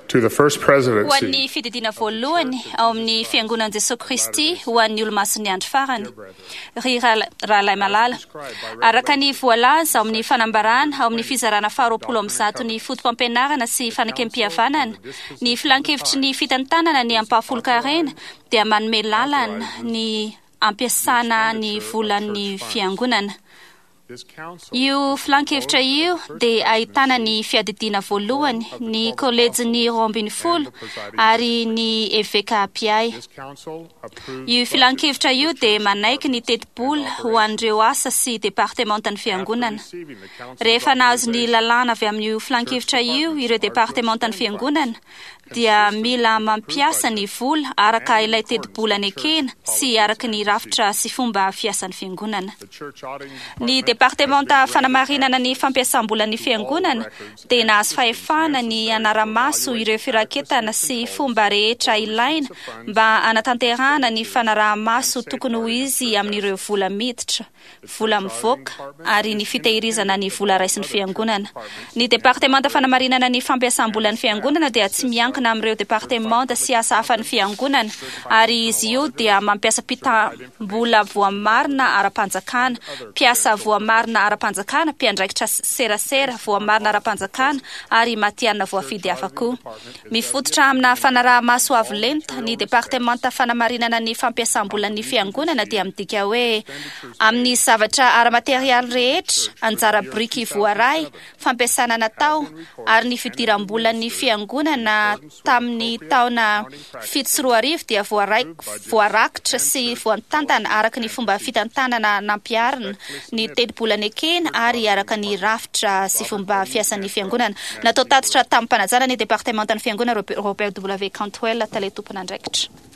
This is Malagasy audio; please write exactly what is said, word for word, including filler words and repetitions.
To the First Ho Presidency an'ny fididiana voalohany ao amin'ny Fiangonan'i Jesoa Kristy ho an'ny Olomasin'ny Andro Farany. Ry rahal- rahalahy malala, araka ny voalaza ao amin'ny fanambarana ao amin'ny fizarana faharoapolo amby zato ny foto-pampianarana sy fanekempihavanana, ny filankevitry ny fitantanana ny ampahafolon-karena dia manome lalana ny ampiasana ny volan'ny fiangonana. This council Io filankevitra io dia ahitana ny fiadidiana voalohany, ny kolejin'ny roa ambin'ny folo ary ny eveka mpiahy. This council approves Io filankevitra io dia manaiky ny tetibola ho an'ireo asa sy departementan'ny fiangonana. receiving the council's Rehefa nahazo ny lalàna avy amin'io filankevitra io ireo departementan'ny fiangonana dia mila mampiasa ny vola araka ilay tetibola nekena sy araka ny rafitra sy fomba fiasan'ny fiangonana. The church auditing Ny department departementa fanamarinana ny fampiasam-bolan'ny fiangonana dia nahazo fahefana ny hanara-maso ireo firaketana sy fomba rehetra ilaina mba hanatanterahana ny fanaraha-maso tokony ho izy amin'ireo vola miditra, vola mivoaka ary ny fitehirizana ny vola raisin'ny fiangonana. Ny departementa fanamarinana ny fampiasam-bolan'ny fiangonana dia tsy miankina amin'ireo departementa sy asa hafan'ny fiangonana ary izy io dia mampiasa mpitam-bola voamarina ara-panjakana, mpiasa voamarina ara-panjakana, mpiandraikitra serasera voamarina ara-panjakana ary matihanina voafidy hafa koa. Mifototra amina fanaraha-maso avo lenta, ny departementa fanamarinana ny fampiasam-bolan'ny fiangonana dia midika hoe amin'ny zavatra ara-materialy rehetra, anjara biriky voaray, fampiasana natao ary ny fidiram-bolan'ny fiangonana tamin'ny taona fito sy roa arivo dia voaray, voarakitra sy voatantana araka ny fomba fitantanana nampiharina, ny tetibola nekena ary araka ny rafitra sy fomba fiasan'ny fiangonana. Natao tatitra tamin'ny mpanajana ny departementan'ny fiangonana Robert W. Cantwell, tale tompon'andraikitra.